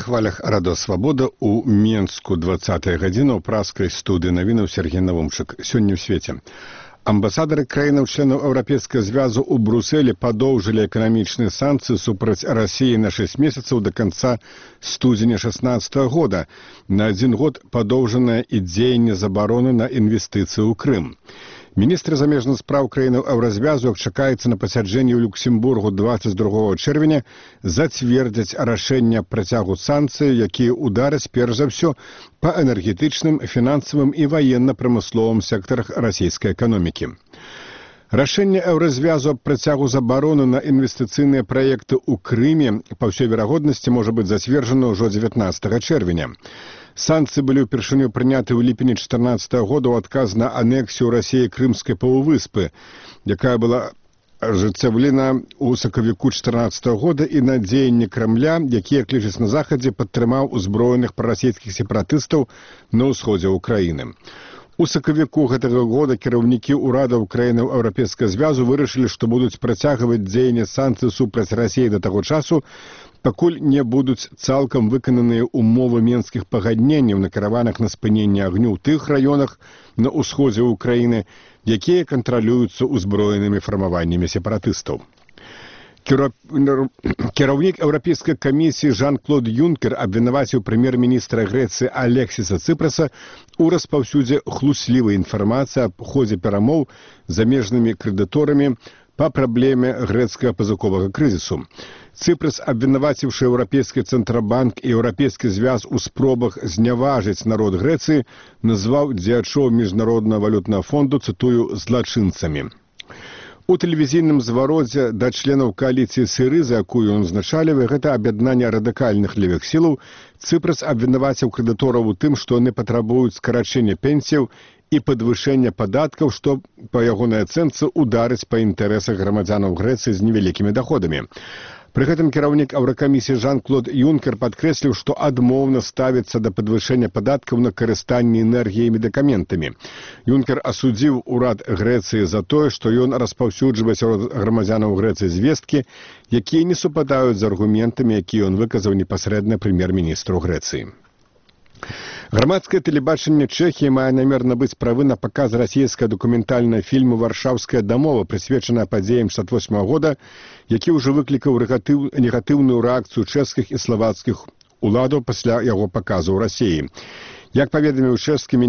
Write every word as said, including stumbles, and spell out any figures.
хвалях Радо Свабода у Менску двадцатая гадзіна ў праскай студыі навінаў Сергей Навумчык. Сёння ў свеце. Амбасадары краінаў-членаў Еўрапейскага звязу ў Брусэлі падоўжылі эканамічныя санкцыі супраць Расіі на шэсць месяцаў да канца студзеня шаснаццатага года. На адзін год падоўжанае і дзеянне забароны на інвестыцыі ў Крым. Міністры замежных спраў краінаў Еўразвязу, як чакаецца на пасяджэнні ў Люксембургу дваццаць другога чэрвеня, зацвердзяць рашэнне працягу санкцый, якія удараць перш за ўсё па энергетычным, фінансавым і ваенна-прамысловым сектарах расійскай эканомікі. Рашэнне Еўразвязу аб працягу забароны на інвестыцыйныя праекты ў Крыме па ўсёй верагоднасці можа быць зацверджана ўжо дзевятнаццатага чэрвеня. Санкцыі былі ўпершыню прыняты ў ліпені чатырнаццатага года ў адказ на анексію Расіі Крымскай паўвыспы, якая была ажыццяўлена ў сакавіку чатырнаццатага года, і на дзеянні Крамля, якія клічаць на захадзе, падтрымаў узброеных прарасійскіх сепаратыстаў на ўсходзе ўкраіны. У сакавіку гэтага года кіраўнікі ўрадаў краінаў Еўрапейскага звязу вырашылі, што будуць працягваць дзеянне санкцый супраць Расіі да таго часу, пакуль не будуць цалкам выкананыя ўмовы менскіх пагадненняў, накіраваных на спыненне агню ў тых раёнах на ўсходзе ўкраіны, якія кантралююцца ўзброенымі фармаваннямі сепаратыстаў. Кіраўнік Еўрапейскай камісіі Жан-Клод Юнкер абвінаваціў прэм'ер-міністра Грэцыі Алексіса Цыпраса ў распаўсюдзе хлуслівай інфармацыі аб ходзе перамоў з замежнымі крэдыторамі па праблеме грэцкага пазыковага крызісу. Цыпрас, абвінаваціўшы Еўрапейскі цэнтрабанк і Еўрапейскі звяз у спробах зняважыць народ Грэцыі, назваў дзеячоў міжнароднага валютнага фонду, цытую, злачынцамі. У тэлевізійным звародзе да членаў кааліцыі Сірыза, якую ён узначалівае, гэта аб'яднанне радыкальных левых сілаў, Цыпрас абвінаваціў крэдытораў у тым, што яны патрабуюць скарачэння пенсіяў і падвышэння падаткаў, што, па ягонай ацэнцы, ударыць па інтарэсах грамадзянаў Грэцыі з невялікімі даходамі. Пры гэтым кіраўнік Еўракамісіі Жан-Клод Юнкер падкрэсліў, што адмоўна ставіцца да падвышэння падаткаў на карыстанне энергіяй і медыкаментамі. Юнкер асудзіў урад Грэцыі за тое, што ён распаўсюджвае сярод грамадзянаў Грэцыі звесткі, якія не супадаюць з аргументамі, якія ён выказаў непасрэдна прэм'ер-міністру Грэцыі. Грамадскае тэлебачанне Чэхіі мае намер набыць правы на паказ расійскага дакументальнага фільму «Варшаўская дамова», прысвечаная падзеям шэсцьдзесят восьмага года, які ўжо выклікаў негатыўную рэакцыю чэшскіх і славацкіх уладаў пасля яго паказу ў Расіі. Як паведаміў чэшскі